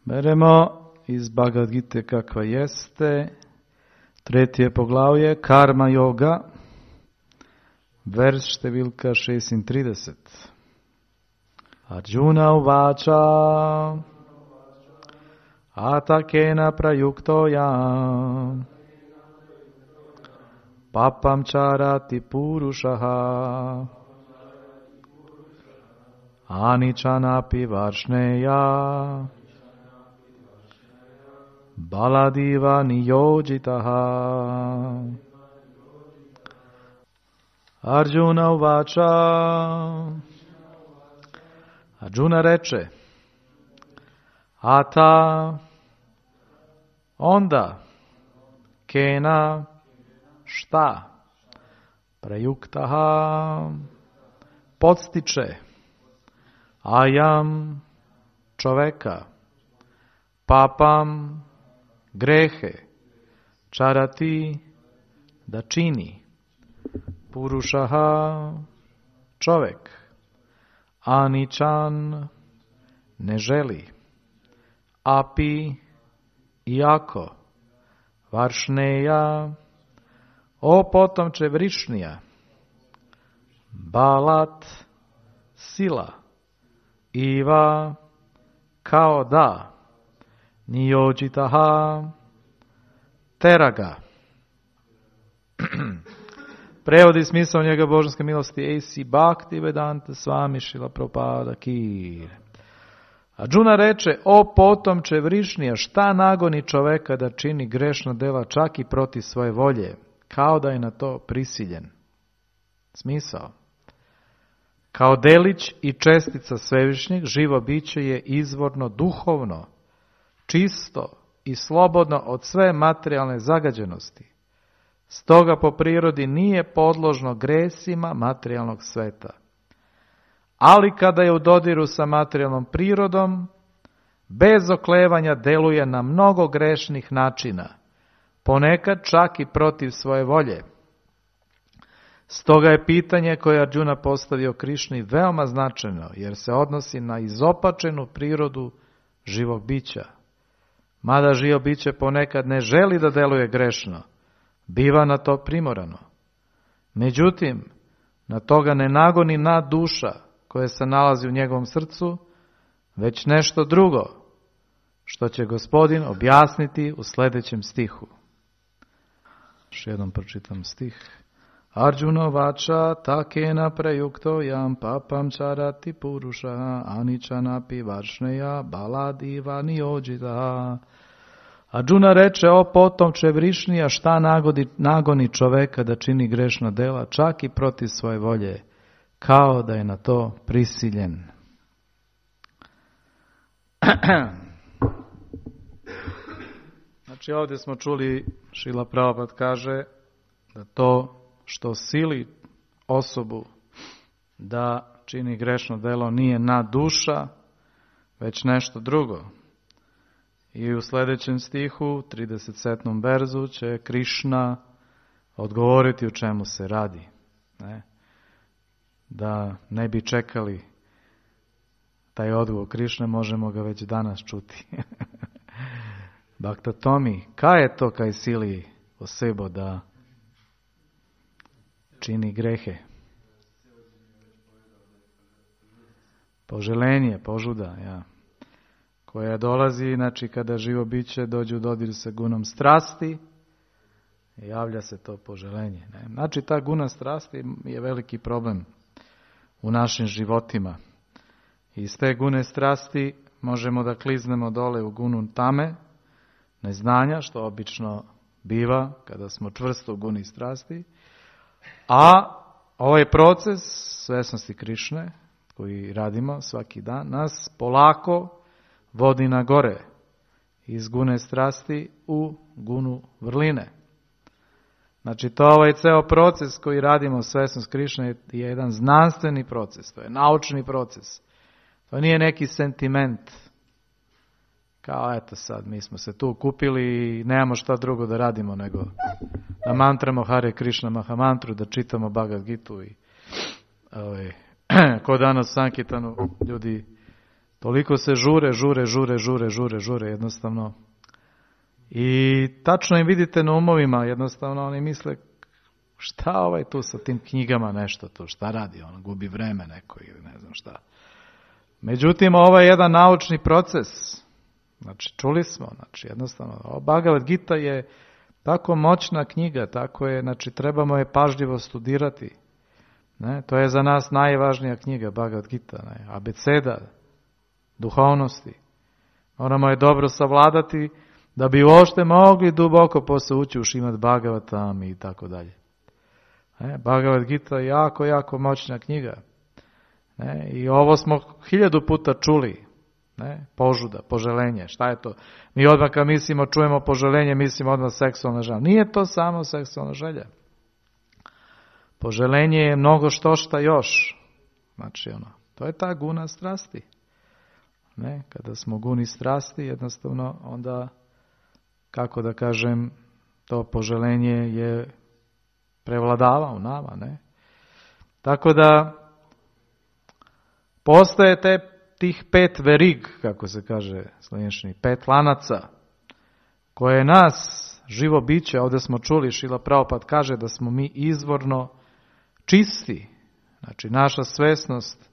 Beremo iz Bhagavad Gite kakva jeste, 3. poglavlje, Karma Yoga, vers številka 36. Arjuna uvača, atakena prayuktoja, papam charati purushaha, anichanapi varšneja, baladiva niyojitaha. Arjuna uvača. Arjuna reče, ata, onda, kena, šta, prayuktaha, podstiče, ajam, čoveka, papam, grehe, čarati, da čini, purušaha, čovek, aničan, ne želi, api, iako, varšneja, o potomče Vrišnija, balat, sila, iva, kao da, niyojitaha, teraga. Prevodi smisao njega božanske milosti A.C. Bhaktivedanta Swami Srila Prabhupada Ki. Arjuna reče, o potomče Vrišnija, šta nagoni čoveka da čini grešna dela čak i protiv svoje volje, kao da je na to prisiljen. Smisao. Kao delić i čestica Svevišnjeg, živo biće je izvorno duhovno, čisto i slobodno od sve materijalne zagađenosti. Stoga po prirodi nije podložno gresima materijalnog sveta. Ali kada je u dodiru sa materijalnom prirodom, bez oklevanja deluje na mnogo grešnih načina, ponekad čak i protiv svoje volje. Stoga je pitanje koje Arjuna postavio Krišni veoma značajno, jer se odnosi na izopačenu prirodu živog bića. Mada živo biće ponekad ne želi da deluje grešno, biva na to primorano. Međutim, na toga ne nagoni duša koja se nalazi u njegovom srcu, već nešto drugo, što će Gospodin objasniti u sljedećem stihu. Još jednom pročitam stih. Arjuna vača takena prayukto jam papam charati purusha anichanapi varšneja baladiva niyojita. Arjuna reče, o potomče Vrišnija, šta nagoni čoveka da čini grešna dela, čak i protiv svoje volje, kao da je na to prisiljen. Znači ovdje smo čuli, Šrila Prabhupada kaže da to što sili osobu da čini grešno delo nije duša, već nešto drugo. I u sljedećem stihu, 37. verzu, će Krišna odgovoriti u čemu se radi. Ne? Da ne bi čekali taj odgovor Krišne, možemo ga već danas čuti. Bhakta Tomi, kaj je to kaj sili osebo da čini grehe? Poželenje, požuda, ja. Koja dolazi, znači kada živo biće dođe u dodir sa gunom strasti, javlja se to poželenje. Ne? Znači ta guna strasti je veliki problem u našim životima. I iz te gune strasti možemo da kliznemo dole u gunu tame, neznanja, što obično biva kada smo čvrsto u guni strasti. A ovaj proces svesnosti Krišne, koji radimo svaki dan, nas polako vodi na gore iz gune strasti u gunu vrline. Znači to ovaj ceo proces koji radimo svesnost Krišne je jedan znanstveni proces, to je naučni proces. To nije neki sentiment. Kao eto sad, mi smo se tu kupili i nemamo šta drugo da radimo nego da mantramo Hare Krishna Mahamantru, da čitamo Bhagavad Gitu i ko danas Sankirtanu ljudi Toliko se žure jednostavno. I tačno im vidite na umovima, jednostavno oni misle šta ovaj tu sa tim knjigama nešto tu, šta radi, on gubi vreme neko ili ne znam šta. Međutim, ovo je jedan naučni proces. Znači, čuli smo, znači jednostavno, Bhagavad Gita je tako moćna knjiga, tako je, znači trebamo je pažljivo studirati. Ne? To je za nas najvažnija knjiga, Bhagavad Gita, ne? Abeceda duhovnosti. Moramo je dobro savladati da bi uopšte mogli duboko posle ući u Šrimad Bhagavatam i tako dalje. Bhagavad Gita je jako, jako moćna knjiga. Ne? I ovo smo 1000 puta čuli. Ne? Požuda, poželenje, šta je to? Mi odmah kad mislimo, čujemo poželenje, mislimo odmah seksualna želja. Nije to samo seksualna želja. Poželenje je mnogo šta još. Znači, to je ta guna strasti. Ne? Kada smo guni strasti, jednostavno, onda, kako da kažem, to poželenje je prevladava u nama. Ne? Tako da, postoje tih 5 verig, kako se kaže slovenčini, 5 lanaca, koje nas, živo biće, ovdje smo čuli, Šrila Prabhupada kaže da smo mi izvorno čisti. Znači, naša svesnost,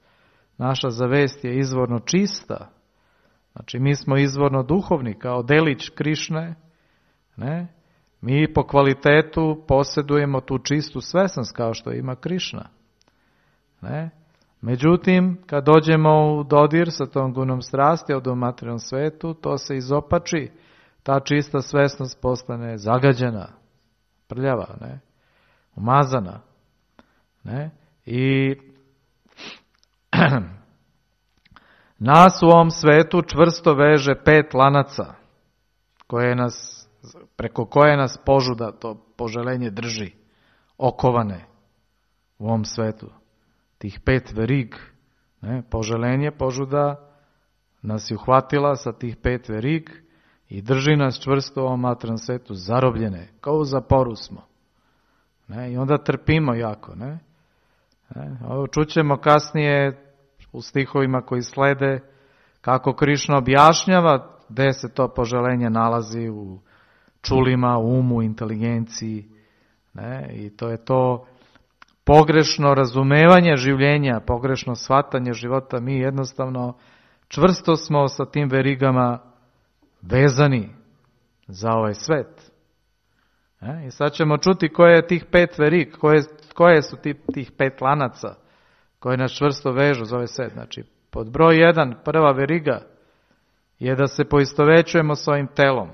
naša zavest je izvorno čista. Znači, mi smo izvorno duhovni, kao delić Krišne. Ne? Mi po kvalitetu posjedujemo tu čistu svesnost, kao što ima Krišna. Ne? Međutim, kad dođemo u dodir sa tom gunom strasti od u materijalnom svetu, to se izopači, ta čista svesnost postane zagađena, prljava, ne? Umazana. Ne? I nas u ovom svetu čvrsto veže 5 lanaca, preko koje nas požuda, to poželenje drži, okovane u ovom svetu. Tih 5 verig, ne, poželenje, požuda nas je uhvatila sa tih 5 verig i drži nas čvrsto u ovom materijalnom svetu, zarobljene, kao u zaporu smo. Ne, i onda trpimo jako. Ne. Ovo čućemo kasnije u stihovima koji slede kako Krišna objašnjava gde se to poželenje nalazi u čulima, umu, inteligenciji. Ne, i to je to pogrešno razumevanje življenja, pogrešno shvatanje života. Mi jednostavno čvrsto smo sa tim verigama vezani za ovaj svet. I sad ćemo čuti koje je tih 5 verig, koje su tih 5 lanaca koje nas čvrsto vežu za ovaj svet. Znači, pod broj 1, prva veriga je da se poistovećujemo s ovim telom.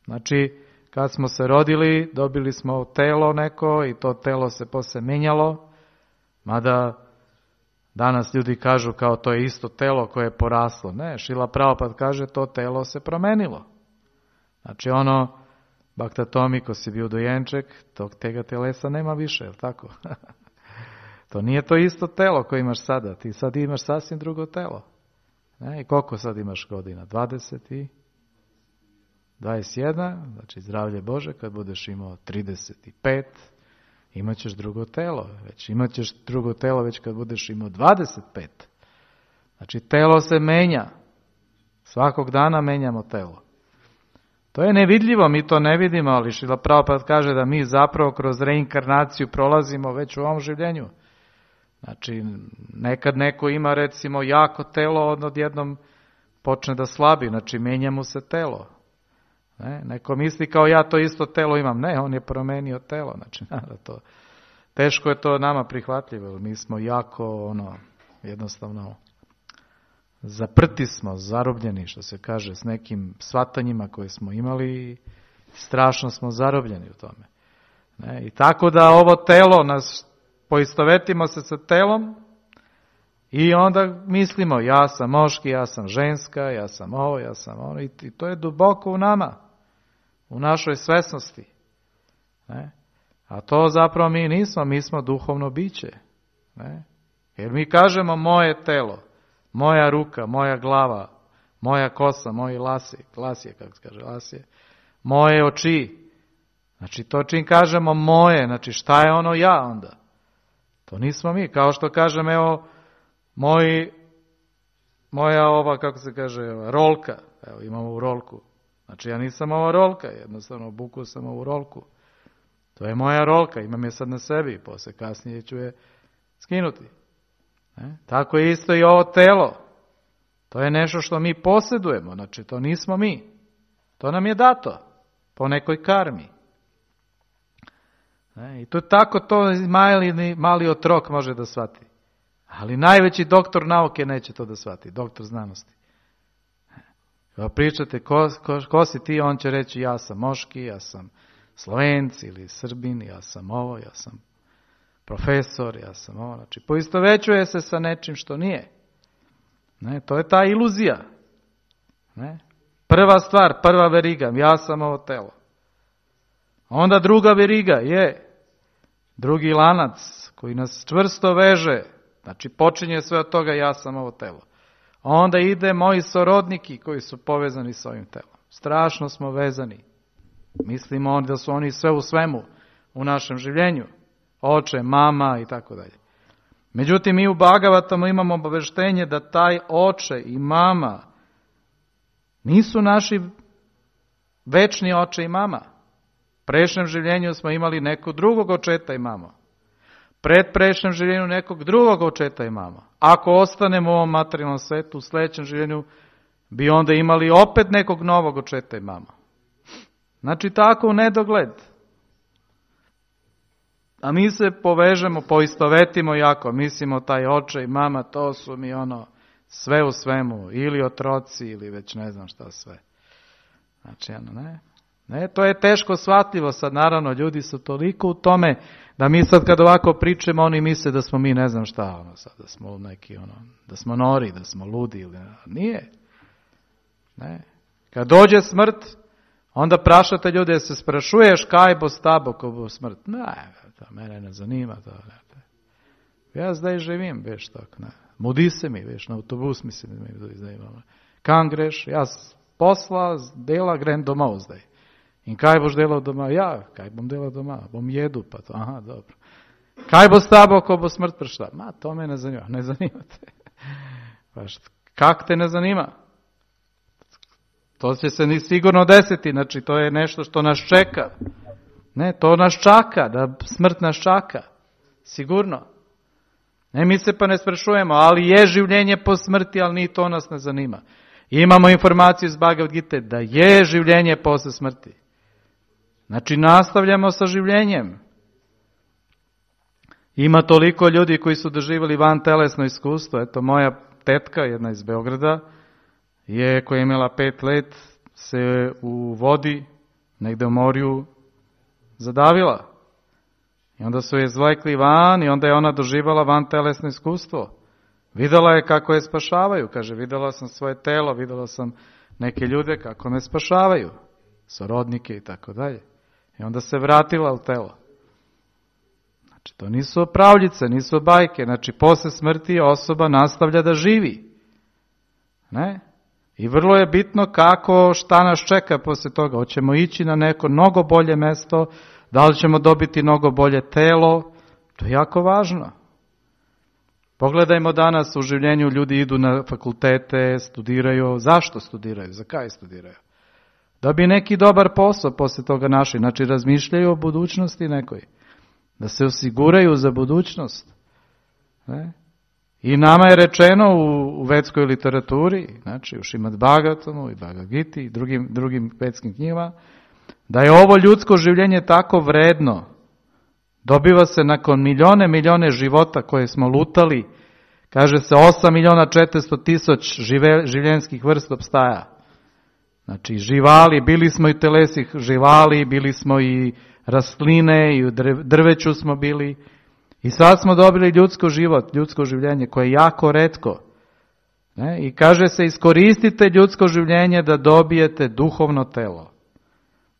Znači, kad smo se rodili, dobili smo telo neko i to telo se posle menjalo, mada danas ljudi kažu kao to je isto telo koje je poraslo. Ne, Šrila Prabhupada kaže to telo se promenilo. Znači Bhakta Tomi, ko si bio dojenček, tega telesa nema više, je li tako? To nije to isto telo koje imaš sada, ti sad imaš sasvim drugo telo. Ne, i koliko sad imaš godina? 21, znači zdravlje Bože, kad budeš imao 35, imat ćeš drugo telo. Imat ćeš drugo telo već kad budeš imao 25. Znači telo se menja. Svakog dana menjamo telo. To je nevidljivo, mi to ne vidimo, ali Šrila Prabhupada kaže da mi zapravo kroz reinkarnaciju prolazimo već u ovom življenju. Znači, nekad neko ima recimo jako telo, odjednom počne da slabi, znači menja mu se telo. Ne? Neko misli kao ja to isto telo imam. Ne, on je promenio telo. Znači, to, teško je to nama prihvatljivo. Mi smo jako, jednostavno, zaprti smo, zarobljeni, što se kaže, s nekim shvatanjima koje smo imali i strašno smo zarobljeni u tome. Ne? I tako da ovo telo, poistovetimo se sa telom i onda mislimo ja sam moški, ja sam ženska, ja sam ovo, ja sam ono i to je duboko u nama, u našoj svesnosti. Ne? A to zapravo mi nismo, mi smo duhovno biće. Ne? Jer mi kažemo moje telo, moja ruka, moja glava, moja kosa, moji lasje, kako se kaže, lasje, moje oči. Znači to čim kažemo moje, znači šta je ono ja onda? To nismo mi, kao što kažem, evo, moji moja ova, kako se kaže, rolka. Evo, imam ovu rolku. Znači, ja nisam ova rolka, jednostavno obukao sam ovu rolku. To je moja rolka, imam je sad na sebi, posle kasnije ću je skinuti. Tako je isto i ovo telo. To je nešto što mi posjedujemo, znači to nismo mi. To nam je dato, po nekoj karmi. I to tako to mali otrok može da shvati. Ali najveći doktor nauke neće to da shvati, doktor znanosti. Kada pričate ko si ti, on će reći ja sam Moški, ja sam Slovenci ili Srbin, ja sam ovo, ja sam profesor, ja sam ovo. Znači, poistovećuje se sa nečim što nije. To je ta iluzija. Prva stvar, prva veriga, ja sam ovo telo. Onda druga veriga je drugi lanac koji nas čvrsto veže. Znači, počinje sve od toga, ja sam ovo telo. Onda ide moji sorodniki koji su povezani s ovim telom. Strašno smo vezani. Mislimo da su oni sve u svemu u našem življenju. Oče, mama i tako dalje. Međutim, mi u Bhagavatamu imamo obaveštenje da taj oče i mama nisu naši večni oče i mama. U prešljem življenju smo imali nekog drugog očeta i mama. Predprešljem življenju nekog drugog očeta i mama. Ako ostanemo u ovom materijalnom svetu, u sljedećem življenju bi onda imali opet nekog novog očeta i mama. Znači tako u nedogled. A mi se povežemo, poistovetimo jako, mislimo taj oče i mama, to su mi sve u svemu, ili otroci, ili već ne znam šta sve. Znači, ne, to je teško shvatljivo sad, naravno, ljudi su toliko u tome, da mi sad kad ovako pričamo, oni misle da smo mi ne znam šta, sad, da smo neki, da smo nori, da smo ludi, ili nije. Ne. Kad dođe smrt, onda prašate ljude, da se sprašuješ kaj bo s tabo ko bo smrt. Ne, to mene ne zanima. To, ne. Ja zdaj živim, veš tak, ne. Mudi se mi, veš, na autobus mislim da mi zdaj imam. Kam greš? Jaz posla, dela, grem domov zdaj. In kaj boš delal doma? Ja, kaj bom delal doma? Bom jedu pa to. Aha, dobro. Kaj bo s tabo, ko bo smrt prišla? Ma, to me ne zanima. Ne zanima te. Kak te ne zanima? To će se ni sigurno desiti, znači to je nešto što nas čeka. Ne, to nas čaka, da smrt nas čaka. Sigurno. Ne, mi se pa ne sprešujemo, ali je življenje po smrti, ali ni to nas ne zanima. Imamo informaciju iz Bhagavad Gite da je življenje posle smrti. Znači nastavljamo sa življenjem. Ima toliko ljudi koji su doživjeli van telesno iskustvo. Eto, moja tetka, jedna iz Beograda, koja je imala 5 let, se u vodi, negde u morju, zadavila. I onda su je izvlekli van i onda je ona doživala van telesno iskustvo. Videla je kako je spašavaju. Kaže, videla sam svoje telo, videla sam neke ljude kako me spašavaju. Sorodnike i tako dalje. I onda se vratila u telo. Znači, to nisu pravljice, nisu bajke. Znači, posle smrti osoba nastavlja da živi. Ne? I vrlo je bitno šta nas čeka posle toga. Hoćemo ići na neko mnogo bolje mesto, da li ćemo dobiti mnogo bolje telo. To je jako važno. Pogledajmo danas u življenju, ljudi idu na fakultete, studiraju. Zašto studiraju? Za kaj studiraju? Da bi neki dobar posao posle toga našli. Znači razmišljaju o budućnosti nekoj. Da se osiguraju za budućnost. Ne? I nama je rečeno u vedskoj literaturi, znači u Šrimad Bhagavatamu i Bhagavad Giti i drugim vedskim knjigama, da je ovo ljudsko življenje tako vredno. Dobiva se nakon milijone života koje smo lutali, kaže se 8.400.000 življenskih vrst opstaja. Znači živali, bili smo i telesih živali, bili smo i rastline, i u drveću smo bili. I sad smo dobili ljudsko življenje koje je jako retko. Ne? I kaže se, iskoristite ljudsko življenje da dobijete duhovno telo.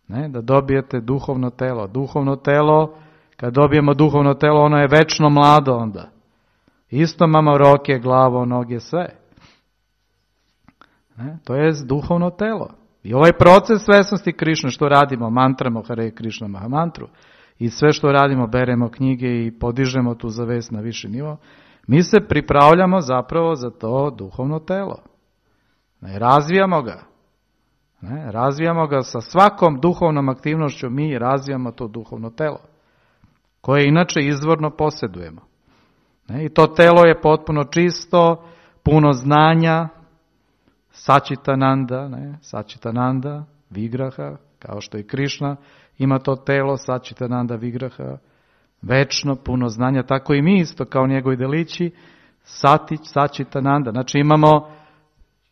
Ne? Da dobijete duhovno telo. Duhovno telo, kad dobijemo duhovno telo, ono je večno mlado onda. Isto imamo roke, glavo, noge, sve. Ne? To je duhovno telo. I ovaj proces svesnosti Krišne, što radimo, mantramo Hare Krišna Mahamantru, i sve što radimo, beremo knjige i podižemo tu zavest na viši nivo, Mi se pripravljamo zapravo za to duhovno telo. Razvijamo ga. Razvijamo ga sa svakom duhovnom aktivnošću, mi razvijamo to duhovno telo, koje inače izvorno posjedujemo. I to telo je potpuno čisto, puno znanja, Sačitananda, Vigraha, kao što i Krišna ima to telo, Sačitananda, Vigraha, večno, puno znanja, tako i mi isto kao njegovi delići, Sačitananda. Znači imamo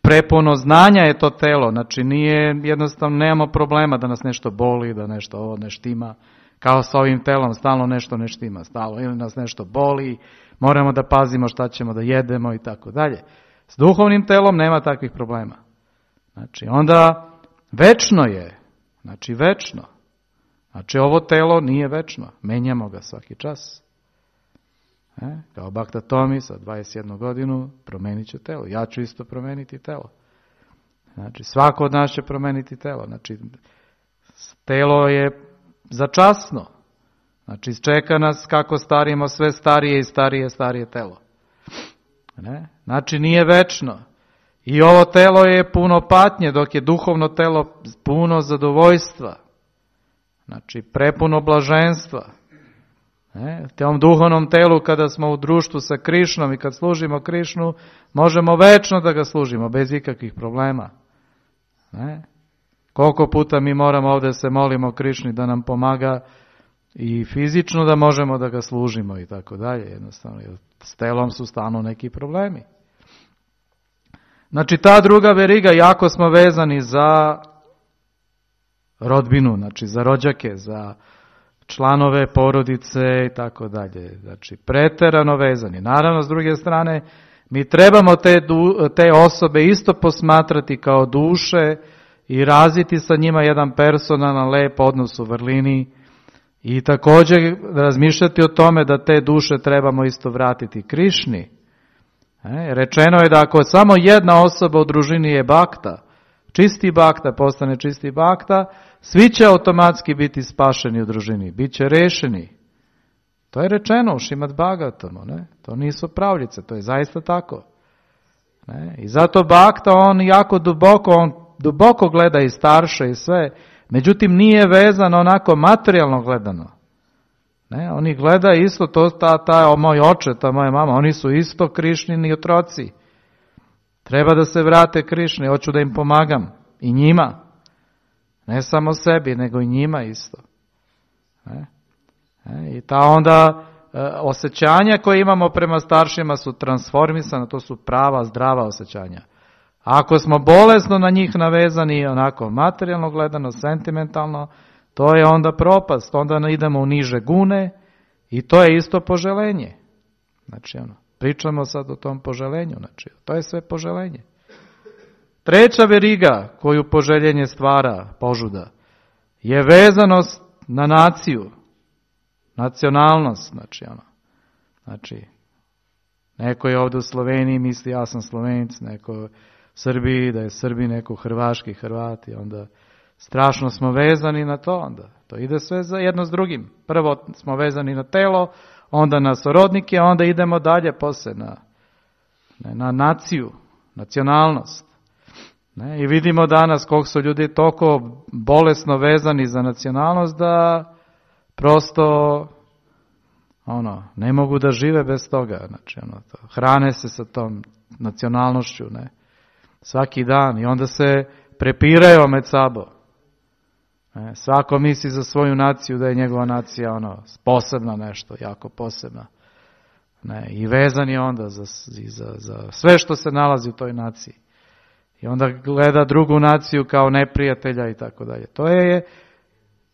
prepuno znanja je to telo, znači nije jednostavno, nemamo problema da nas nešto boli, da nešto ovo ne štima, kao sa ovim telom, stalno nešto ne štima, stalno ili nas nešto boli, moramo da pazimo šta ćemo da jedemo i tako dalje. S duhovnim telom nema takvih problema. Znači onda večno je, znači večno. Znači ovo telo nije večno, menjamo ga svaki čas. Kao Bhakta Tomi sa 21 godinu promenit će telo. Ja ću isto promeniti telo. Znači svako od nas će promeniti telo. Znači telo je začasno. Znači čeka nas kako starimo sve starije i starije telo. Znači nije večno. I ovo telo je puno patnje, dok je duhovno telo puno zadovoljstva. Znači prepuno blaženstva. Tom duhovnom telu kada smo u društvu sa Krišnom i kad služimo Krišnu, možemo večno da ga služimo, bez ikakvih problema. Koliko puta mi moramo ovdje se molimo Krišni da nam pomaga i fizično da možemo da ga služimo i tako dalje. Jednostavno, s telom su stalno neki problemi. Znači ta druga veriga, jako smo vezani za rodbinu, znači za rođake, za članove porodice i tako dalje. Znači preterano vezani. Naravno, s druge strane, mi trebamo te osobe isto posmatrati kao duše i razviti sa njima jedan personalan, lep odnos u vrlini i također razmišljati o tome da te duše trebamo isto vratiti Krišni. Rečeno je da ako samo jedna osoba u družini je bakta, čisti bakta, postane čisti bakta, svi će automatski biti spašeni u družini, bit će rešeni. To je rečeno u Šrimad Bhagavatamu, to nisu pravljice, to je zaista tako. I zato bakta, on jako duboko gleda i starše i sve, međutim nije vezan onako materijalno gledano. Oni gleda isto, moj oče, ta moja mama, oni su isto Krišnini otroci. Treba da se vrate Krišni, hoću da im pomagam. I njima. Ne samo sebi, nego i njima isto. I ta onda osjećanja koje imamo prema staršima su transformisana, to su prava, zdrava osjećanja. Ako smo bolesno na njih navezani, onako materijalno gledano, sentimentalno, to je onda propast, onda idemo u niže gune i to je isto poželenje. Znači, pričamo sad o tom poželenju, znači, to je sve poželenje. Treća veriga koju poželjenje stvara, požuda, je vezanost na naciju, nacionalnost, znači, neko je ovdje u Sloveniji, misli ja sam Slovenac, neko u Srbiji, da je Srbi, neko Hrvaški, Hrvati, onda strašno smo vezani na to, onda to ide sve za jedno s drugim. Prvo smo vezani na telo, onda na sorodnike, onda idemo dalje poslije na naciju, nacionalnost. I vidimo danas koliko su ljudi toliko bolesno vezani za nacionalnost da prosto ne mogu da žive bez toga. Znači, hrane se sa tom nacionalnošću, svaki dan i onda se prepiraju med sabo. Svako misli za svoju naciju da je njegova nacija posebna nešto, jako posebna. I vezan je onda za sve što se nalazi u toj naciji. I onda gleda drugu naciju kao neprijatelja i tako dalje. To je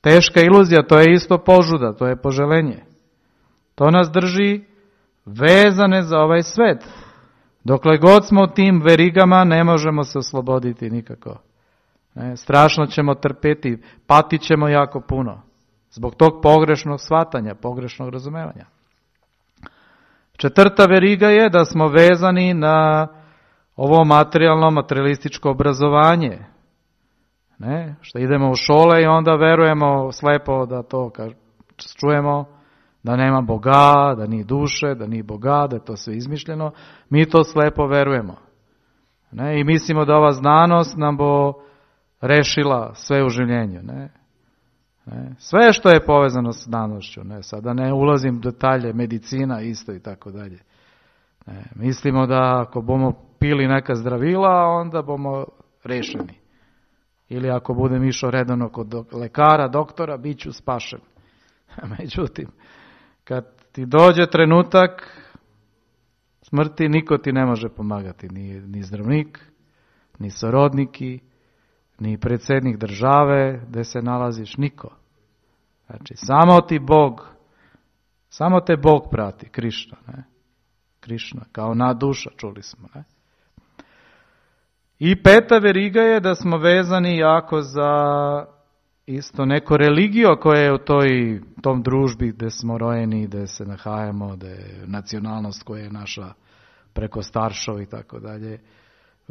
teška iluzija, to je isto požuda, to je poželenje. To nas drži vezane za ovaj svet. Dokle god smo tim verigama ne možemo se osloboditi nikako. Strašno ćemo trpeti, patit ćemo jako puno. Zbog tog pogrešnog shvatanja, pogrešnog razumevanja. Četvrta veriga je da smo vezani na ovo materialističko obrazovanje. Što idemo u škole i onda verujemo slepo da to čujemo, da nema Boga, da nije duše, da nije Boga, da je to sve izmišljeno. Mi to slepo verujemo. Ne? I mislimo da ova znanost nam bo rešila sve u življenju. Ne? Sve što je povezano s znanošću. Ne? Sada ne ulazim u detalje, medicina isto i tako dalje. Mislimo da ako bomo pili neka zdravila, onda bomo rešeni. Ili ako budem išao redano kod lekara, doktora, bit ću spašen. Međutim, kad ti dođe trenutak smrti, niko ti ne može pomagati. Ni zdravnik, ni sorodniki, ni predsjednik države gdje se nalaziš, niko. Znači, samo te Bog prati, Krišna. Ne? Krišna, kao duša, čuli smo. Ne? I peta veriga je da smo vezani jako za isto neko religio koje je u tom družbi gdje smo rojeni, gdje se nahajamo, gdje je nacionalnost koja je naša preko staršov i tako dalje.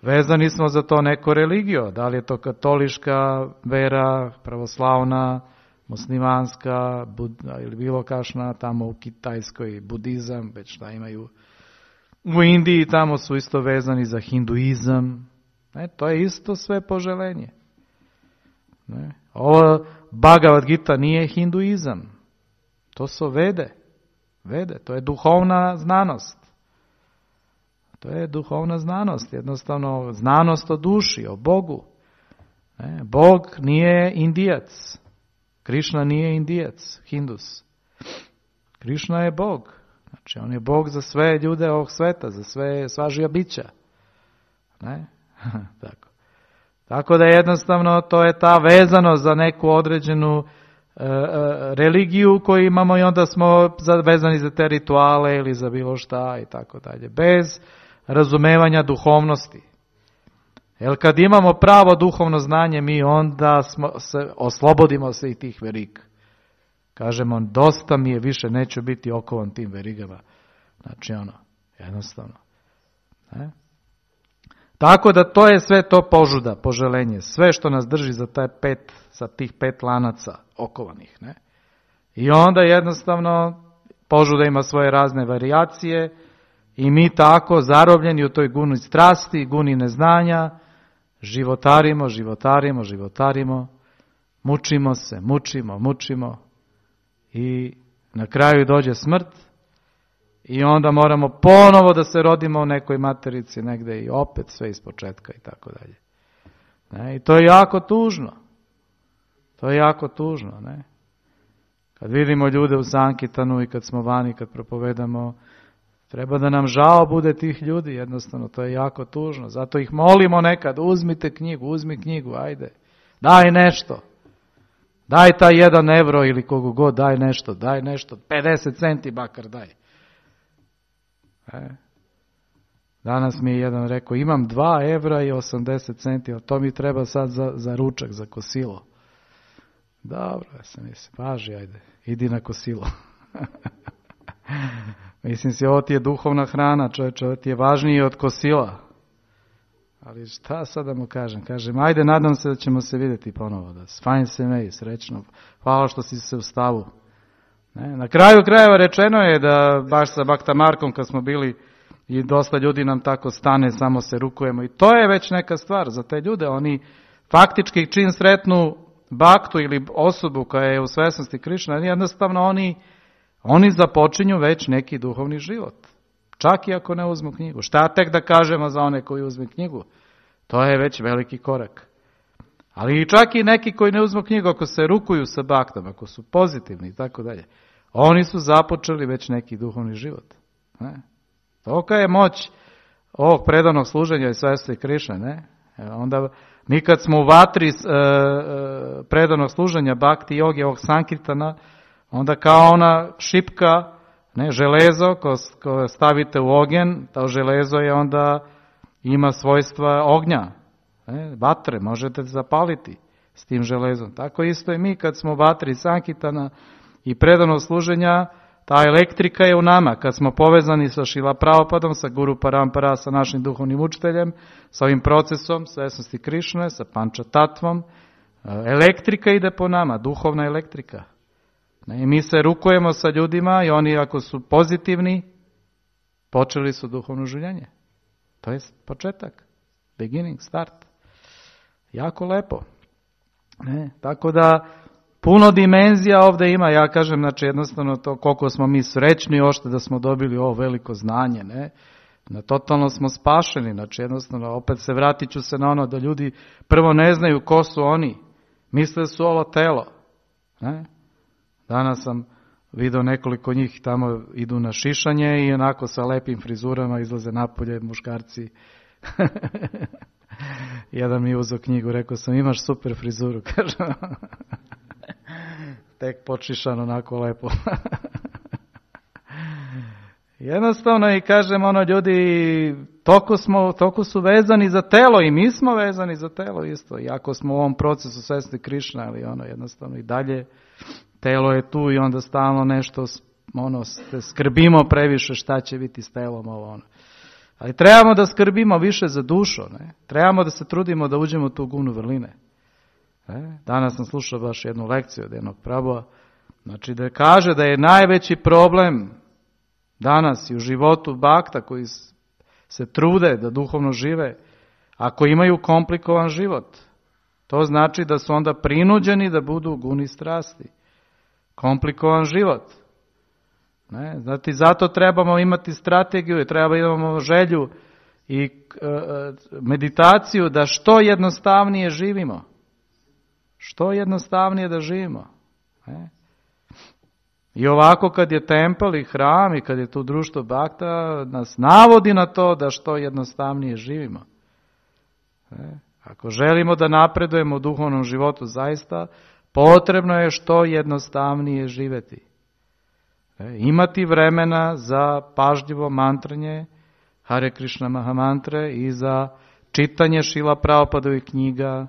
Vezani smo za to neko religio, da li je to katoliška vera, pravoslavna, muslimanska, ili bilo kašna, tamo u Kitajskoj budizam, već šta imaju. U Indiji tamo su isto vezani za hinduizam. To je isto sve poželenje. Ovo Bhagavad Gita nije hinduizam. To su Vede. To je duhovna znanost. To je duhovna znanost. Jednostavno znanost o duši, o Bogu. Bog nije Indijac. Krišna nije Indijac, Hindus. Krišna je Bog. Znači, on je Bog za sve ljude ovog sveta, za sva živa bića. Tako da jednostavno to je ta vezanost za neku određenu religiju koju imamo i onda smo vezani za te rituale ili za bilo šta i tako dalje. Bez razumevanja duhovnosti. Jer kad imamo pravo duhovno znanje, mi onda oslobodimo se i tih veriga. Kažemo, dosta mi je, više neću biti okovan tim verigama. Znači jednostavno. Tako da to je sve to požuda, poželenje. Sve što nas drži za tih 5 lanaca okovanih. Ne? I onda jednostavno požuda ima svoje razne varijacije i mi tako zarobljeni u toj guni strasti, guni neznanja, životarimo, mučimo i na kraju dođe smrt i onda moramo ponovo da se rodimo u nekoj materici negdje i opet sve ispočetka i tako dalje. I to je jako tužno. Ne? Kad vidimo ljude u Sankitanu i kad smo vani, kad propovedamo, treba da nam žao bude tih ljudi, jednostavno, to je jako tužno. Zato ih molimo nekad, uzmi knjigu, ajde, daj nešto. Daj taj 1 evro ili kogu god, daj nešto, 50 centi bakar daj. Danas mi je jedan rekao, imam 2 evra i 80 centi, ali to mi treba sad za ručak, za kosilo. Dobro, ja sam mislim, važi, ajde, idi na kosilo. Mislim si, ovo ti je duhovna hrana, čovječe, ovo ti je važnije od kosila. Ali šta sad da mu kažem? Kažem, ajde, nadam se da ćemo se vidjeti ponovo. Fajn se mej, srećno. Hvala što si se u stavu. Na kraju krajeva rečeno je da baš sa Bakta Markom kad smo bili i dosta ljudi nam tako stane, samo se rukujemo. I to je već neka stvar za te ljude. Oni faktički čim sretnu Baktu ili osobu koja je u svesnosti Krišna, jednostavno oni započinju već neki duhovni život. Čak i ako ne uzmu knjigu. Šta tek da kažemo za one koji uzme knjigu? To je već veliki korak. Ali čak i neki koji ne uzmu knjigu, ako se rukuju sa Baktom, ako su pozitivni i tako dalje, oni su započeli već neki duhovni život. Tolika je moć ovog predanog služenja i svesti Krišne. Ne? Onda mi kad smo u vatri predanog služenja Bhakti joge, ovog Sankirtana, onda kao ona šipka, železo koje stavite u ogen, to železo je onda ima svojstva ognja, vatre, možete zapaliti s tim železom. Tako isto i mi kad smo u vatri Sankirtana i predanog služenja, ta elektrika je u nama. Kad smo povezani sa Šrila Prabhupadom, sa Guru Parampara, sa našim duhovnim učiteljem, sa ovim procesom svesnosti Krišne, sa Panča Tatvom, elektrika ide po nama, duhovna elektrika. I mi se rukujemo sa ljudima i oni ako su pozitivni, počeli su duhovno življenje. To je početak, beginning, start. Jako lepo. Tako da puno dimenzija ovdje ima, ja kažem, znači jednostavno to koliko smo mi srećni ošte da smo dobili ovo veliko znanje, totalno smo spašeni, znači jednostavno opet se vratit ću se na ono da ljudi prvo ne znaju ko su oni, misle su ovo telo. Danas sam vidio nekoliko njih tamo idu na šišanje i onako sa lepim frizurama izlaze napolje muškarci. Jedan mi je uzeo knjigu, rekao sam imaš super frizuru, kaže. Tek počišan onako lepo. Jednostavno i kažem ljudi, toliko su vezani za telo i mi smo vezani za telo isto. Iako smo u ovom procesu svesni Krišna, ali jednostavno i dalje telo je tu i onda stalno nešto skrbimo previše šta će biti s telom Ali trebamo da skrbimo više za dušu, Trebamo da se trudimo da uđemo u tu gunu vrline. Danas sam slušao baš jednu lekciju od jednog prabova, znači da kaže da je najveći problem danas i u životu bakta koji se trude da duhovno žive, ako imaju komplikovan život, to znači da su onda prinuđeni da budu u guni strasti. Komplikovan život. Znači, zato trebamo imati strategiju i treba imamo želju i meditaciju da što jednostavnije živimo. Što jednostavnije da živimo. I ovako kad je tempel i hram i kad je tu društvo bakta, nas navodi na to da što jednostavnije živimo. Ako želimo da napredujemo u duhovnom životu zaista, potrebno je što jednostavnije živjeti. Imati vremena za pažljivo mantranje Hare Krishna Mahamantre i za čitanje Šrila Prabhupadovih knjiga,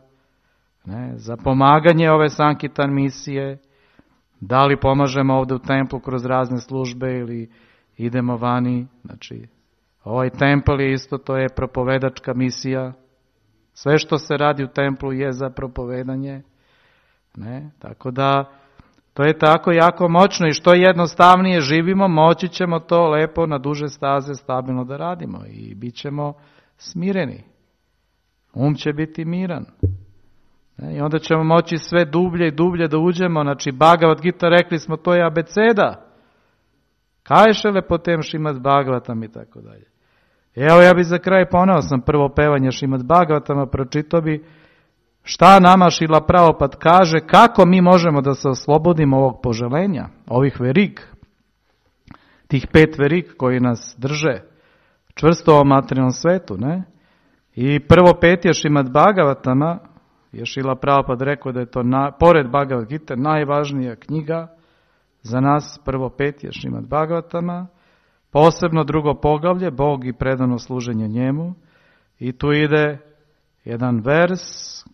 za pomaganje ove Sankirtan misije, da li pomažemo ovdje u templu kroz razne službe ili idemo vani. Znači, ovaj tempel je isto, to je propovedačka misija. Sve što se radi u templu je za propovedanje. Tako da, to je tako jako moćno i što jednostavnije živimo, moći ćemo to lepo na duže staze stabilno da radimo i bit ćemo smireni. Će biti miran. I onda ćemo moći sve dublje i dublje da uđemo. Znači, Bhagavad Gita, rekli smo, to je abeceda. Kajše lepotem Šrimad Bhagavatam i tako dalje. Evo, ja bi za kraj poneo sam prvo pevanje Šrimad Bhagavatama, pročitao bi šta nama Šrila Prabhupada kaže, kako mi možemo da se oslobodimo ovog poželenja, ovih verig, tih 5 verig koji nas drže čvrsto u materijalnom svetu. I prvo petje Šrimad Bhagavatama je Šrila Prabhupada rekao da je to, pored Bhagavad Gita, najvažnija knjiga za nas, prvo petje Šrimad Bhagavatama, posebno drugo poglavlje, Bog i predano služenje njemu, i tu ide jedan vers,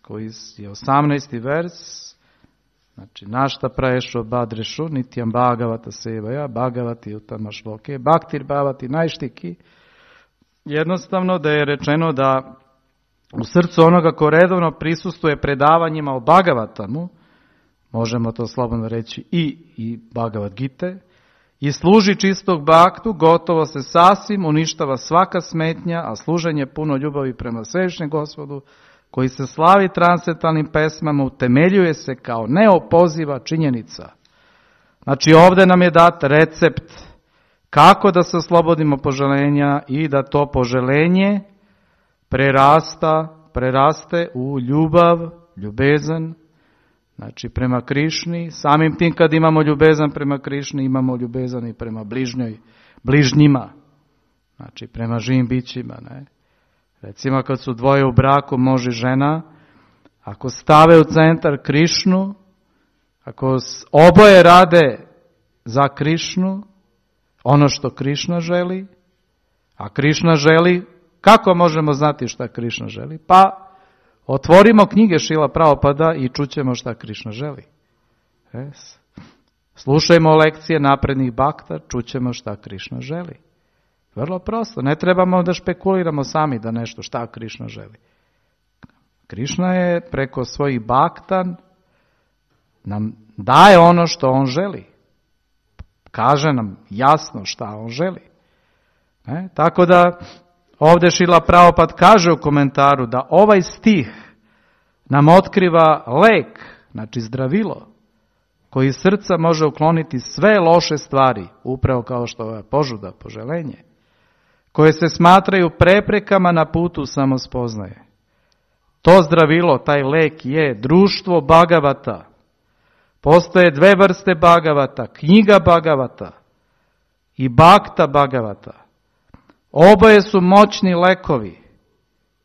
koji je 18. vers, znači, našta praješu badrešu, nitjam Bhagavata sevaja, Bhagavati utama šloke, Bhaktir Bhavati najštiki, jednostavno da je rečeno da u srcu onoga ko redovno prisustuje predavanjima o Bhagavatamu, možemo to slobodno reći i Bhagavad Gite, i služi čistog baktu, gotovo se sasvim uništava svaka smetnja, a služenje puno ljubavi prema Svevišnjem Gospodu, koji se slavi transcendentalnim pesmama, utemeljuje se kao neopoziva činjenica. Znači, ovdje nam je dat recept kako da se oslobodimo poželenja i da to poželenje preraste u ljubav, ljubezan, znači prema Krišni. Samim tim kad imamo ljubezan prema Krišni, imamo ljubezan i prema bližnjima, znači prema živim bićima. Recimo kad su dvoje u braku, muž i žena, ako stave u centar Krišnu, ako oboje rade za Krišnu, ono što Krišna želi, a Krišna želi, kako možemo znati šta Krišna želi? Pa otvorimo knjige Šrila Prabhupada i čućemo šta Krišna želi. Slušajmo lekcije naprednih bakta, čućemo šta Krišna želi. Vrlo prosto, ne trebamo da špekuliramo sami da nešto šta Krišna želi. Krišna je preko svojih bakta nam daje ono što on želi. kaže nam jasno šta on želi. Tako da ovdje Šrila Prabhupada kaže u komentaru da ovaj stih nam otkriva lek, znači zdravilo, koji iz srca može ukloniti sve loše stvari, upravo kao što je požuda, poželenje, koje se smatraju preprekama na putu samospoznaje. To zdravilo, taj lek je društvo Bhagavata. Postoje dve vrste Bhagavata, knjiga Bhagavata i Bhakta Bhagavata. Oboje su moćni lekovi,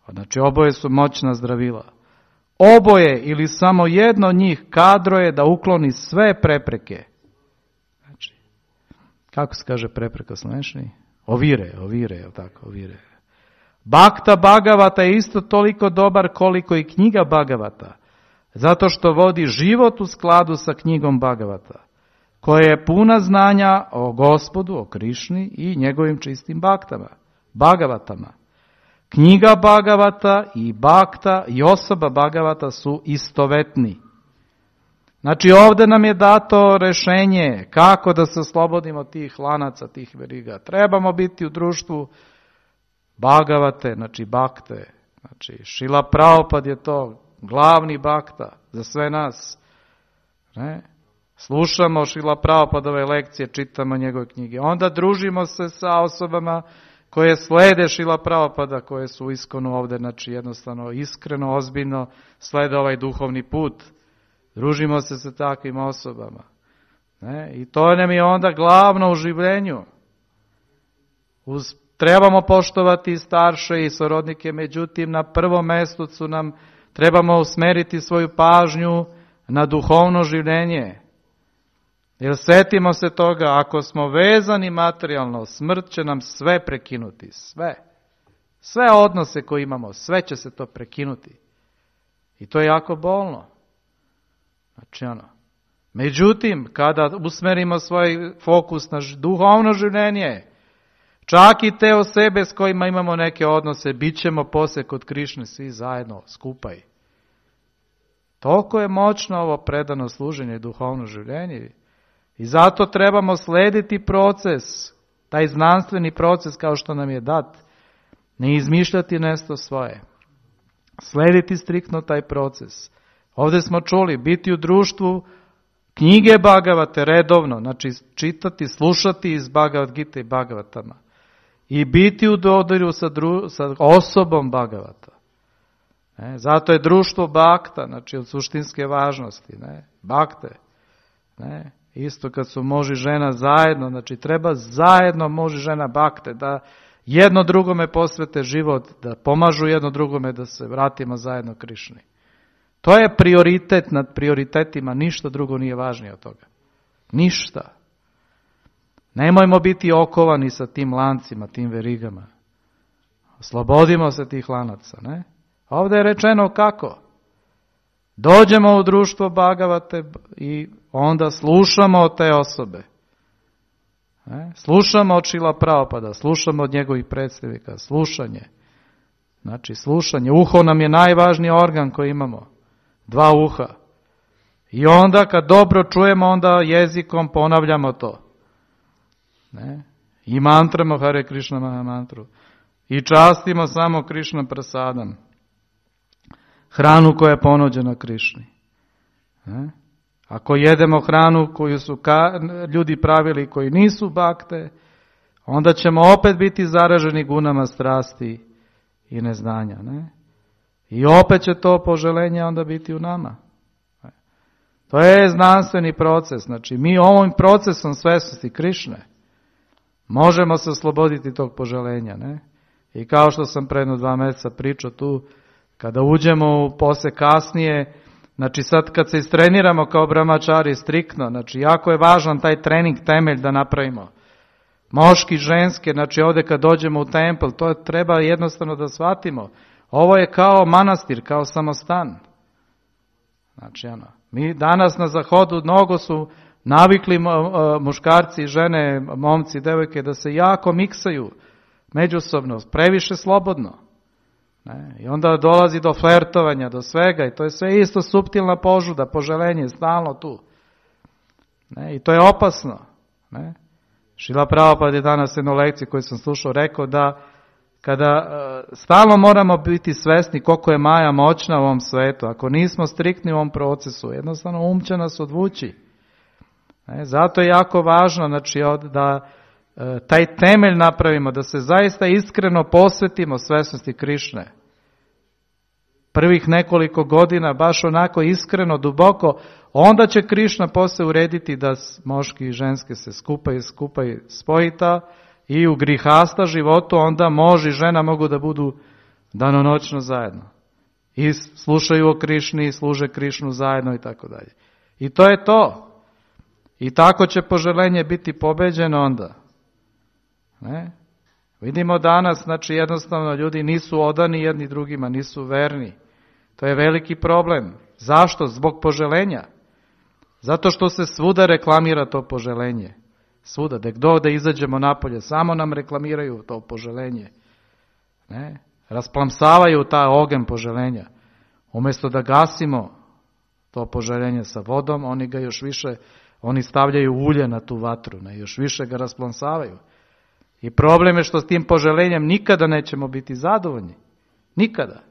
znači oboje su moćna zdravila. Oboje ili samo jedno od njih kadro je da ukloni sve prepreke. Znači, kako se kaže prepreka slovenski? Ovire, je li tako, ovire. Bhakta Bhagavata je isto toliko dobar koliko i knjiga Bhagavata, zato što vodi život u skladu sa knjigom Bhagavata, koja je puna znanja o Gospodu, o Krišni i njegovim čistim Bhagavatama. Knjiga Bhagavata i Bhakta i osoba Bhagavata su istovetni. Znači ovdje nam je dato rješenje kako da se oslobodimo tih lanaca, tih veriga. Trebamo biti u društvu Bhagavate, znači Bhakte. Znači Šrila Prabhupada je to glavni Bhakta za sve nas. Ne? Slušamo Šrila Prabhupadove lekcije, čitamo njegove knjige. Onda družimo se sa osobama koje slede Šrila Prabhupada, koje su iskonu ovdje, znači jednostavno iskreno, ozbiljno slede ovaj duhovni put. Družimo se sa takvim osobama. Ne? I to nam je onda glavno u življenju. Trebamo poštovati starše i sorodnike, međutim na prvom mjestu trebamo usmeriti svoju pažnju na duhovno življenje. Jer sjetimo se toga, ako smo vezani materijalno, smrt će nam sve prekinuti, sve. Sve odnose koje imamo, sve će se to prekinuti. I to je jako bolno. Znači Međutim, kada usmerimo svoj fokus na duhovno življenje, čak i te osobe s kojima imamo neke odnose, bit ćemo poslije kod Krišne svi zajedno, skupaj. Toliko je moćno ovo predano služenje i duhovno življenje. I zato trebamo slediti proces, taj znanstveni proces kao što nam je dat. Ne izmišljati nešto svoje. Slediti striktno taj proces. Ovdje smo čuli, biti u društvu knjige Bhagavate redovno, znači čitati, slušati iz Bhagavad Gita i Bhagavatama. I biti u dodiru sa osobom Bhagavata. Zato je društvo Bhakta, znači od suštinske važnosti. Bhakte. Isto kad su muž i žena zajedno, znači treba zajedno muž i žena Bhakte, da jedno drugome posvete život, da pomažu jedno drugome da se vratimo zajedno Krišni. To je prioritet nad prioritetima, ništa drugo nije važnije od toga. Ništa. Nemojmo biti okovani sa tim lancima, tim verigama. Oslobodimo se tih lanaca, ne? Ovdje je rečeno kako. Dođemo u društvo Bhagavate i onda slušamo od te osobe. Slušamo od Šrila Prabhupada, slušamo od njegovih predstavnika, slušanje. Znači slušanje, uho nam je najvažniji organ koji imamo, 2 uha. I onda kad dobro čujemo, onda jezikom ponavljamo to. I mantramo Hare Krishna Maha mantru. I častimo samo Krishna prasadam. Hranu koja je ponuđena Krišni. Ako jedemo hranu koju su ljudi pravili koji nisu Bhakte, onda ćemo opet biti zaraženi gunama strasti i neznanja. I opet će to poželenje onda biti u nama. To je znanstveni proces. Znači mi ovim procesom svjesnosti Krišne možemo se osloboditi tog poželenja. I kao što sam predno 2 mjeseca pričao tu, kada uđemo poslije kasnije, znači sad kad se istreniramo kao brahmačari striktno, znači jako je važan taj trening temelj da napravimo. Moški, ženske, znači ovdje kad dođemo u templ, to treba jednostavno da shvatimo. Ovo je kao manastir, kao samostan. Znači mi danas na zahodu mnogo su navikli muškarci, žene, momci, devojke da se jako miksaju međusobno, previše slobodno. I onda dolazi do flertovanja, do svega i to je sve isto suptilna požuda, poželenje, stalno tu. I to je opasno. Šrila Prabhupada je danas jednu lekciju koju sam slušao rekao da kada stalno moramo biti svesni koliko je Maja moćna u ovom svetu, ako nismo striktni u ovom procesu, jednostavno će nas odvući. Zato je jako važno znači, da taj temelj napravimo, da se zaista iskreno posvetimo svesnosti Krišne. Prvih nekoliko godina, baš onako iskreno, duboko, onda će Krišna poslije urediti da muški i ženske se skupaju spojita i u grihasta životu onda muž i žena mogu da budu danonoćno zajedno. I slušaju o Krišni, služe Krišnu zajedno i tako dalje. I to je to. I tako će poželenje biti pobeđeno onda. Ne? Vidimo danas, znači jednostavno ljudi nisu odani jedni drugima, nisu verni. To je veliki problem. Zašto? Zbog poželenja. Zato što se svuda reklamira to poželenje. Svuda, da izađemo napolje, samo nam reklamiraju to poželenje. Ne? Rasplamsavaju taj ogen poželenja. Umjesto da gasimo to poželenje sa vodom, oni ga još više, oni stavljaju ulje na tu vatru, ne? Još više ga rasplamsavaju. I problem je što s tim poželenjem nikada nećemo biti zadovoljni. Nikada.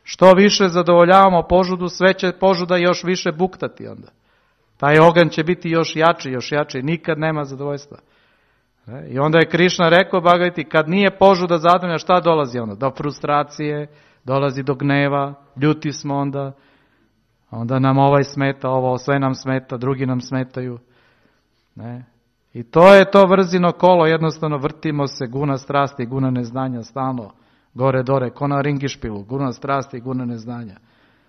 Što više zadovoljavamo požudu, sve će požuda još više buktati onda. Taj oganj će biti još jači, nikad nema zadovoljstva. I onda je Krišna rekao, Bhagavati, kad nije požuda zadovoljna, šta dolazi onda? Do frustracije, dolazi do gneva, ljuti smo onda nam ovaj smeta, ovo sve nam smeta, drugi nam smetaju. Ne? I to je to vrzino kolo, jednostavno vrtimo se, guna strasti, guna neznanja, stalno, gore dore, ko na ringišpilu, guna strasti i guna neznanja.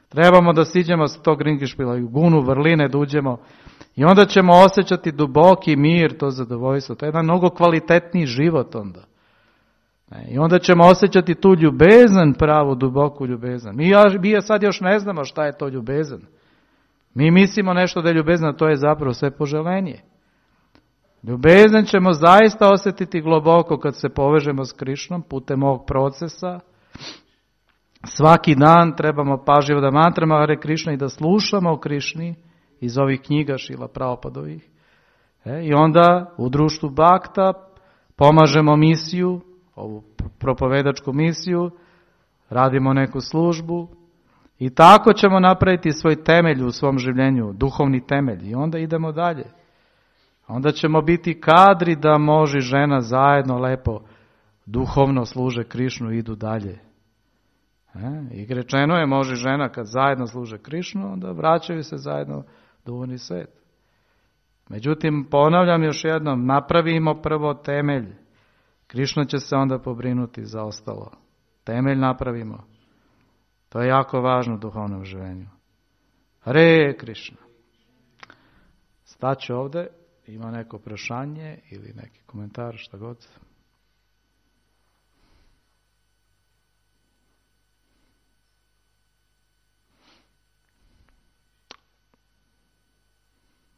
Trebamo da siđemo s tog ringišpila i u gunu vrline da uđemo i onda ćemo osjećati duboki mir, to zadovoljstvo. To je jedan mnogo kvalitetniji život onda. I onda ćemo osjećati tu ljubezan, pravu, duboku ljubezan. Mi sad još ne znamo šta je to ljubezan. Mi mislimo nešto da je ljubezan, to je zapravo sve poželenje. Ljubezan ćemo zaista osjetiti globoko kad se povežemo s Krišnom putem ovog procesa. Svaki dan trebamo pažljivo da mantramo Hare Krišna i da slušamo o Krišni iz ovih knjiga Šrila Prabhupadovih. I onda u društvu Bhakta pomažemo misiju, ovu propovedačku misiju, radimo neku službu i tako ćemo napraviti svoj temelj u svom življenju, duhovni temelj i onda idemo dalje. Onda ćemo biti kadri da može žena zajedno lepo duhovno služe Krišnu i idu dalje. I rečeno je, može žena kad zajedno služe Krišnu, onda vraćaju se zajedno duhovni svet. Međutim, ponavljam još jednom, napravimo prvo temelj. Krišna će se onda pobrinuti za ostalo. Temelj napravimo. To je jako važno u duhovnom življenju. Hare Krišna. Staću ovdje. Ima neko prašanje ili neki komentar, šta god?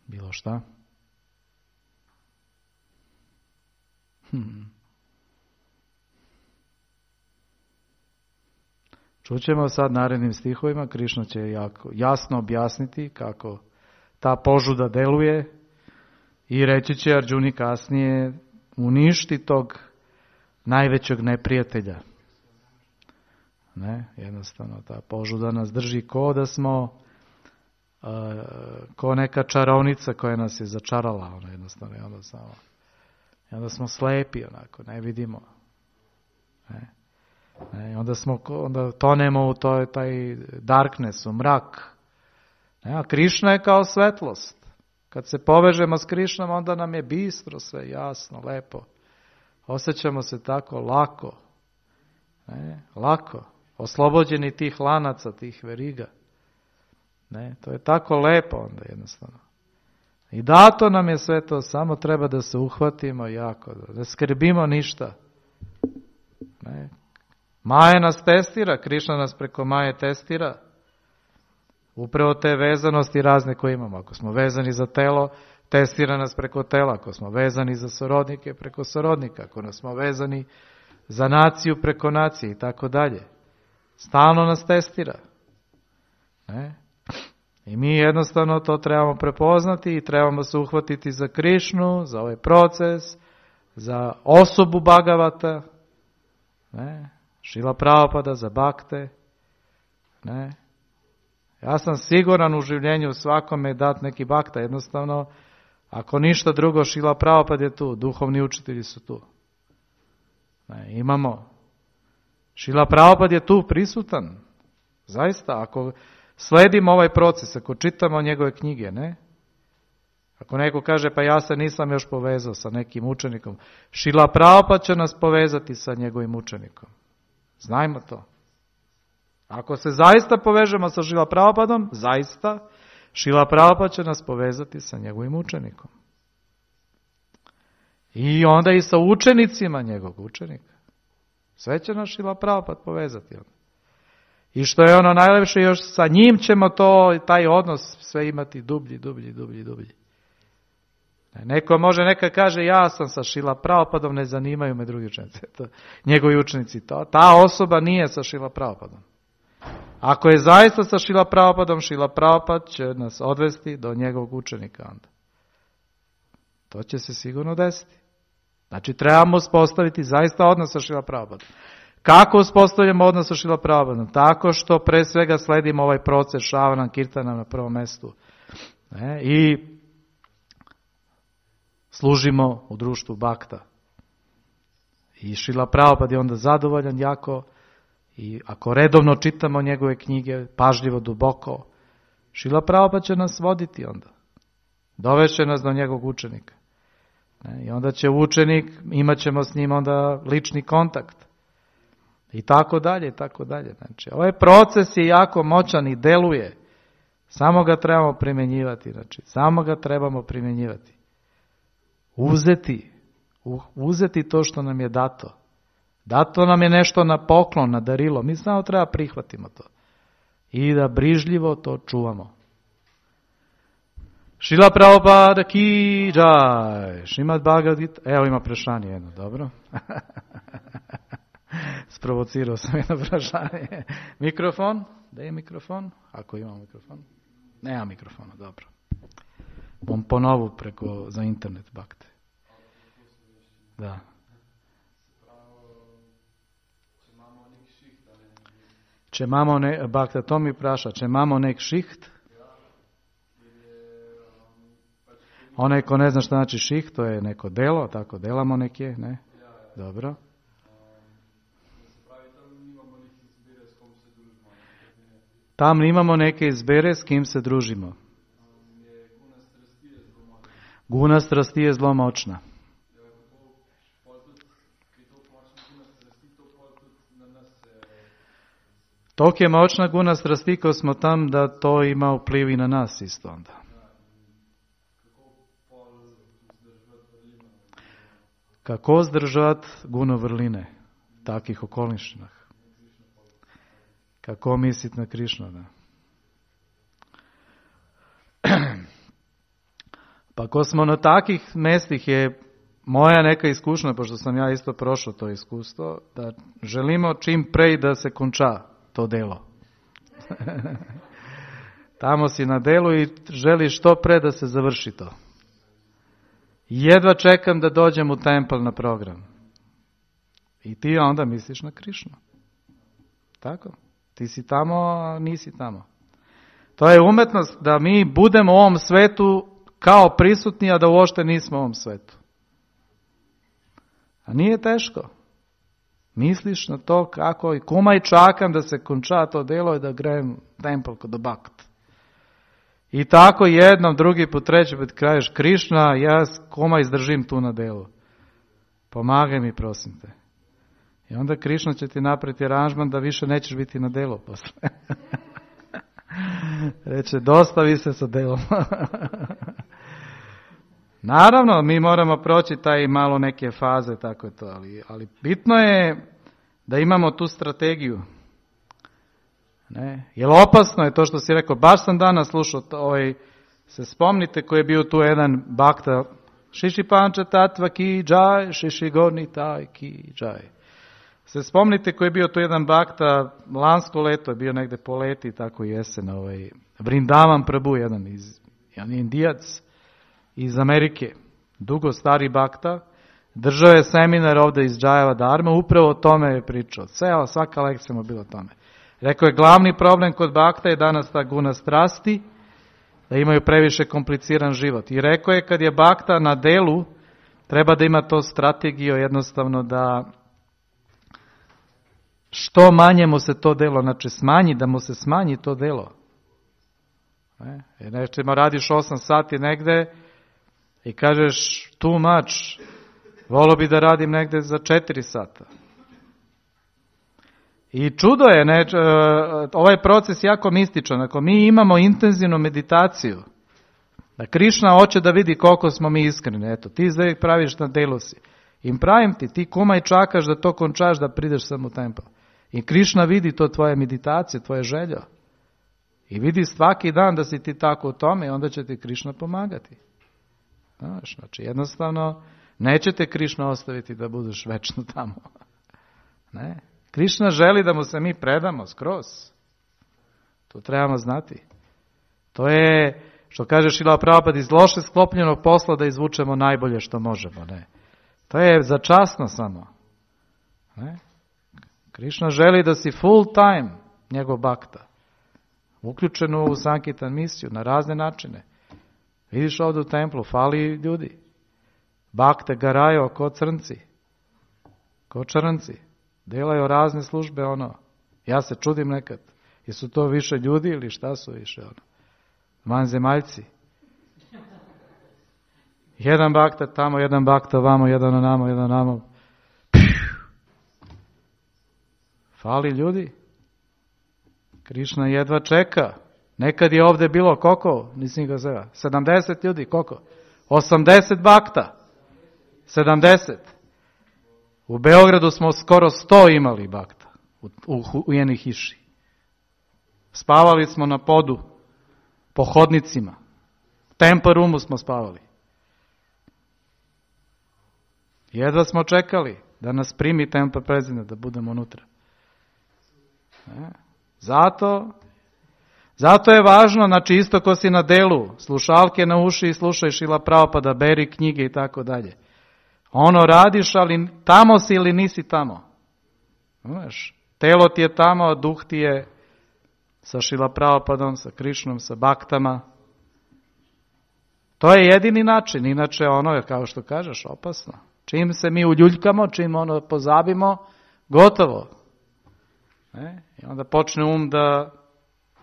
Bilo šta? Čućemo sad narednim stihovima. Krišna će jako jasno objasniti kako ta požuda deluje i reći će Arđuni kasnije uništi tog najvećeg neprijatelja. Ne, jednostavno ta požuda nas drži ko da smo ko neka čarovnica koja nas je začarala, ono jednostavno onda smo slepi onako, ne vidimo. Ne, onda tonemo u taj darkness, u mrak. Ne, a Krišna je kao svetlost. Kad se povežemo s Krišnom, onda nam je bistro sve, jasno, lepo. Osjećamo se tako lako. Ne, lako. Oslobođeni tih lanaca, tih veriga. Ne, to je tako lepo onda jednostavno. I dato nam je sve to, samo treba da se uhvatimo jako, da skrbimo ništa. Ne. Maja nas testira, Krišna nas preko Maje testira. Upravo te vezanosti razne koje imamo. Ako smo vezani za telo, testira nas preko tela. Ako smo vezani za sorodnike, preko sorodnika. Ako smo vezani za naciju, preko nacije i tako dalje. Stalno nas testira. Ne? I mi jednostavno to trebamo prepoznati i trebamo se uhvatiti za Krišnu, za ovaj proces, za osobu Bhagavata, ne, Šrila Prabhupada za bakte, ne. Ja sam siguran u življenju svakome dati neki bakta, jednostavno, ako ništa drugo, Šrila Prabhupada je tu, duhovni učitelji su tu. Ne, imamo. Šrila Prabhupada je tu prisutan. Zaista, ako sledimo ovaj proces, ako čitamo njegove knjige, ne? Ako neko kaže, pa ja se nisam još povezao sa nekim učenikom, Šrila Prabhupada će nas povezati sa njegovim učenikom. Znajmo to. Ako se zaista povežemo sa Šrila Prabhupadom, zaista, Šrila Prabhupada će nas povezati sa njegovim učenikom. I onda i sa učenicima njegovog učenika. Sve će nas Šrila Prabhupada povezati. I što je ono najlepše, još sa njim ćemo taj odnos sve imati dublji. Neko može, neka kaže, ja sam sa Šrila Prabhupadom, ne zanimaju me drugi učenici. Njegovi učenici, ta osoba nije sa Šrila Prabhupadom. Ako je zaista sa Šrila Prabhupadom, Šrila Prabhupada će nas odvesti do njegovog učenika onda. To će se sigurno desiti. Znači, trebamo uspostaviti zaista odnos sa Šrila Prabhupadom. Kako uspostavljamo odnos sa Šrila Prabhupadom? Tako što pre svega sledimo ovaj proces Šravanam Kirtanam na prvom mestu. I služimo u društvu bakta. I Šrila Prabhupada je onda zadovoljan jako. I ako redovno čitamo njegove knjige, pažljivo, duboko, Šrila Prabhupada će nas voditi onda. Dovešće nas do njegovog učenika. I onda će učenik, imat ćemo s njim onda lični kontakt. I tako dalje. Znači, ovaj proces je jako moćan i deluje. Samo ga trebamo primjenjivati. Uzeti to što nam je dato. Dato nam je nešto na poklon, na darilo. Mi samo treba prihvatimo to. I da brižljivo to čuvamo. Šrila Prabhupada ki džaj. Šrimad Bhagavad Gita. Evo ima prešanje jedno, dobro. Sprovocirao sam jedno prešanje. Mikrofon? Da je mikrofon? Ako ima mikrofon. Nema mikrofona, dobro. Bom ponovu za internet bakte. Da. Če imamo bakta, to mi vpraša, če imamo nek šiht, onaj ko ne zna šta znači šiht, to je neko delo, tako delamo nekje, ne? Dobro. Tam imamo neke izbere s kim se družimo. Guna strasti je zelo močna. Toliko je močna guna strasti, ko smo tam, da to ima vpliv i na nas isto onda. Kako zdržati guno vrline v takih okoliščinah? Kako misliti na Krišnu? Da? Pa ko smo na takih mestih je moja neka iskušnja, pošto sam ja isto prošao to iskustvo, da želimo čim prej da se konča to delo. Tamo si na delu i želiš što pre da se završi to. Jedva čekam da dođem u tempel na program. I ti onda misliš na Krišnu. Tako? Ti si tamo, a nisi tamo. To je umetnost da mi budemo u ovom svetu kao prisutni, a da uopšte nismo u ovom svetu. A nije teško. Misliš na to kako i kumaj čakam da se konča to delo i da grem tempel kod bakt. I tako jednom, drugi put, treći put kažeš Krišna, ja kumaj izdržim tu na delu. Pomagaj mi, prosim te. I onda Krišna će ti napraviti aranžman da više nećeš biti na delu posle. Reče, dostavi se sa delom. Naravno, mi moramo proći taj malo neke faze, tako je to, ali bitno je da imamo tu strategiju. Ne? Jer opasno je to što si rekao, baš sam danas slušao, se spomnite koji je bio tu jedan bakta, Šiši Panča Tatva ki džaj, Šiši Gorni taj ki džaj. Se spomnite koji je bio tu jedan bakta, lansko leto je bio negde po leti, tako i jesen, Vrindavan Prabhu, jedan Indijac iz Amerike, dugo stari bakta, Držao je seminar ovdje iz Džajava Dharma, upravo o tome je pričao. Svaka lekcija mu bila o tome. Rekao je, glavni problem kod bakta je danas ta guna strasti, da imaju previše kompliciran život. I rekao je, kad je bakta na delu, treba da ima to strategiju jednostavno da što manje mu se to delo, znači da mu se smanji to delo. Jer nečima radiš 8 sati negde i kažeš too much, volio bi da radim negde za 4 sata. I čudo je, ovaj proces jako mističan. Ako mi imamo intenzivnu meditaciju, da Krišna hoće da vidi koliko smo mi iskreni, eto, ti zdaj praviš na delu si. I pravim ti kumaj čakaš da to končaš, da prideš sam u tempel. I Krišna vidi to tvoje meditacije, tvoje željo. I vidi svaki dan da si ti tako u tome i onda će ti Krišna pomagati. Znači, jednostavno, neće te Krišna ostaviti da budeš večno tamo. Ne. Krišna želi da mu se mi predamo skroz. To trebamo znati. To je, što kaže Šrila Prabhupada, iz loše sklopljenog posla da izvučemo najbolje što možemo. Ne. To je začasno samo. Ne. Krišna želi da si full time njegov bakta. Uključen u Sankirtan misiju na razne načine. Vidiš ovdje u templu, fali ljudi. Bakte garaju ko crnci. Ko črnci. Delaju razne službe, Ja se čudim nekad. Jesu to više ljudi ili šta su više, vanzemaljci. Jedan bakta tamo, jedan bakta vamo, jedan onamo, jedan onamo. Fali ljudi. Krišna jedva čeka. Nekad je ovdje bilo koliko? Nisam ga zeva. 70 ljudi, koliko? 80 bakta. 70. U Beogradu smo skoro 100 imali bakta. U jednih hiši. Spavali smo na podu. Po hodnicima. U Temple Roomu smo spavali. Jedva smo čekali da nas primi Temple President, da budemo unutra. Zato je važno, znači isto ko si na delu, slušalke na uši i slušaj Šrila Prabhupada, beri knjige i tako dalje. Radiš, ali tamo si ili nisi tamo. Znaš, telo ti je tamo, a duh ti je sa Šrila Prabhupadom, sa Krišnom, sa baktama. To je jedini način, inače je kao što kažeš, opasno. Čim se mi uljuljkamo, čim pozabimo, gotovo. I onda počne da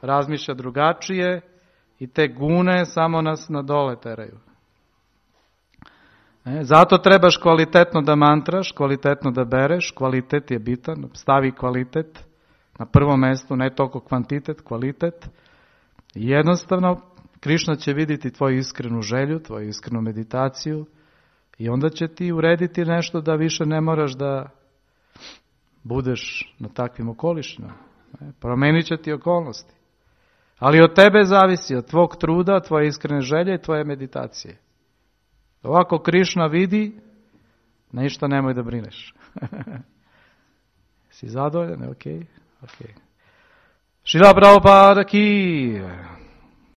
razmišlja drugačije i te gune samo nas na dole teraju. Zato trebaš kvalitetno da mantraš, kvalitetno da bereš, kvalitet je bitan, stavi kvalitet na prvo mjesto, ne toliko kvantitet, kvalitet. I jednostavno, Krišna će vidjeti tvoju iskrenu želju, tvoju iskrenu meditaciju i onda će ti urediti nešto da više ne moraš da budeš na takvim okolištima. Promenit će ti okolnosti. Ali od tebe zavisi, od tvog truda, tvoje iskrene želje i tvoje meditacije. Ovako Krišna vidi, ništa nemoj da brineš. Si zadovoljan? Ok. Šrila Prabhupada ki.